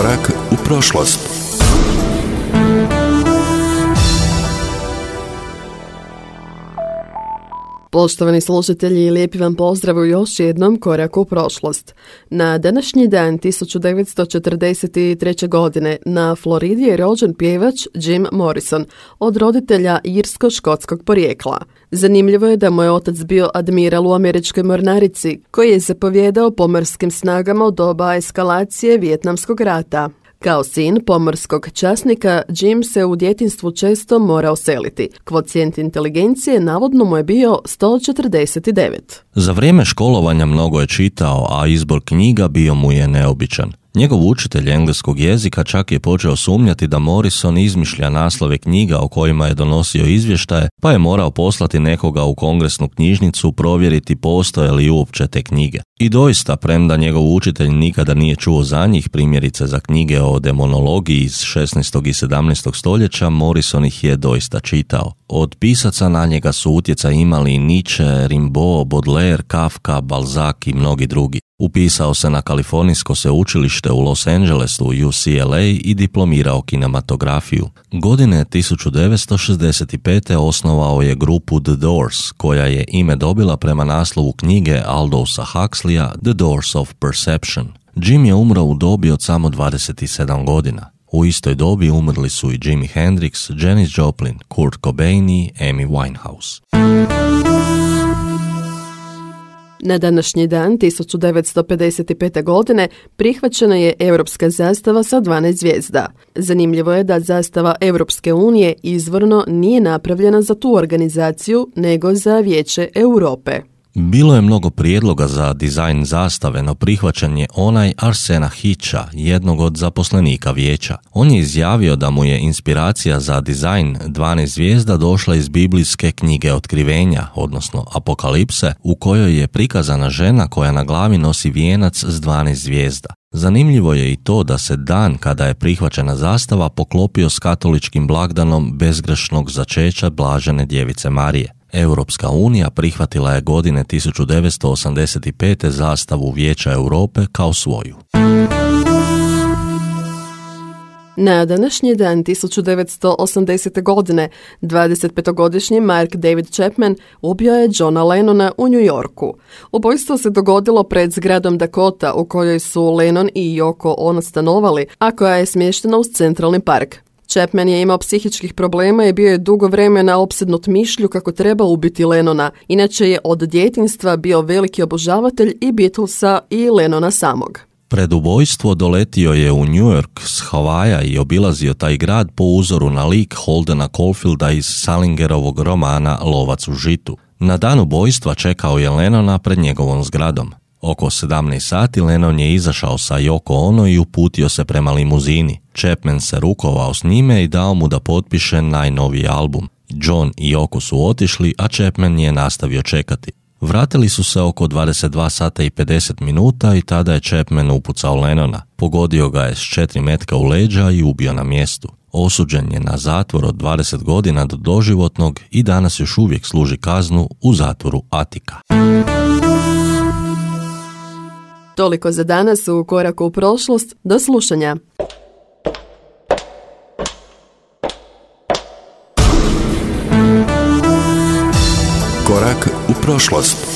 Korak u prošlost. Poštovani slušatelji, lijepi vam pozdrav u još jednom koraku u prošlost. Na današnji dan 1943. godine na Floridi je rođen pjevač Jim Morrison, od roditelja irsko-škotskog porijekla. Zanimljivo je da mu je otac bio admiral u američkoj mornarici, koji je zapovjedao pomorskim snagama u doba eskalacije Vijetnamskog rata. Kao sin pomorskog časnika, Jim se u djetinjstvu često morao seliti. Kvocijent inteligencije navodno mu je bio 149. Za vrijeme školovanja mnogo je čitao, a izbor knjiga bio mu je neobičan. Njegov učitelj engleskog jezika čak je počeo sumnjati da Morrison izmišlja naslove knjiga o kojima je donosio izvještaje, pa je morao poslati nekoga u kongresnu knjižnicu provjeriti postoje li uopće te knjige. I doista, premda njegov učitelj nikada nije čuo za njih, primjerice za knjige o demonologiji iz 16. i 17. stoljeća, Morrison ih je doista čitao. Od pisaca na njega su utjecaj imali Nietzsche, Rimbaud, Baudelaire, Kafka, Balzac i mnogi drugi. Upisao se na Kalifornijsko sveučilište u Los Angelesu, UCLA, i diplomirao kinematografiju. Godine 1965. osnovao je grupu The Doors, koja je ime dobila prema naslovu knjige Aldousa Huxleya The Doors of Perception. Jim je umro u dobi od samo 27 godina. U istoj dobi umrli su i Jimi Hendrix, Janis Joplin, Kurt Cobain i Amy Winehouse. Na današnji dan 1955. godine prihvaćena je europska zastava sa 12 zvijezda. Zanimljivo je da zastava Europske unije izvorno nije napravljena za tu organizaciju, nego za Vijeće Europe. Bilo je mnogo prijedloga za dizajn zastave, no prihvaćen je onaj Arsena Hitcha, jednog od zaposlenika vijeća. On je izjavio da mu je inspiracija za dizajn 12 zvijezda došla iz biblijske knjige Otkrivenja, odnosno Apokalipse, u kojoj je prikazana žena koja na glavi nosi vijenac s 12 zvijezda. Zanimljivo je i to da se dan kada je prihvaćena zastava poklopio s katoličkim blagdanom bezgrešnog začeća Blažene djevice Marije. Europska unija prihvatila je godine 1985. zastavu Vijeća Europe kao svoju. Na današnji dan 1980. godine 25-godišnji Mark David Chapman ubio je Johna Lennona u New Yorku. Ubojstvo se dogodilo pred zgradom Dakota u kojoj su Lennon i Yoko Ono stanovali, a koja je smještena uz Centralni park. Chapman je imao psihičkih problema i bio je dugo vremena opsednut mišlju kako treba ubiti Lennona. Inače je od djetinjstva bio veliki obožavatelj i Beatlesa i Lennona samog. Pred ubojstvo doletio je u New York s Havaja i obilazio taj grad po uzoru na lik Holdena Caulfielda iz Salingerovog romana Lovac u žitu. Na dan ubojstva čekao je Lennona pred njegovom zgradom. Oko 17 sati Lennon je izašao sa Yoko Ono i uputio se prema limuzini. Chapman se rukovao s njime i dao mu da potpiše najnoviji album. John i Yoko su otišli, a Chapman je nastavio čekati. Vratili su se oko 22 sata i 50 minuta i tada je Chapman upucao Lennona. Pogodio ga je s 4 metka u leđa i ubio na mjestu. Osuđen je na zatvor od 20 godina do doživotnog i danas još uvijek služi kaznu u zatvoru Attica. Toliko za danas u koraku u prošlost. Do slušanja. Korak u prošlost.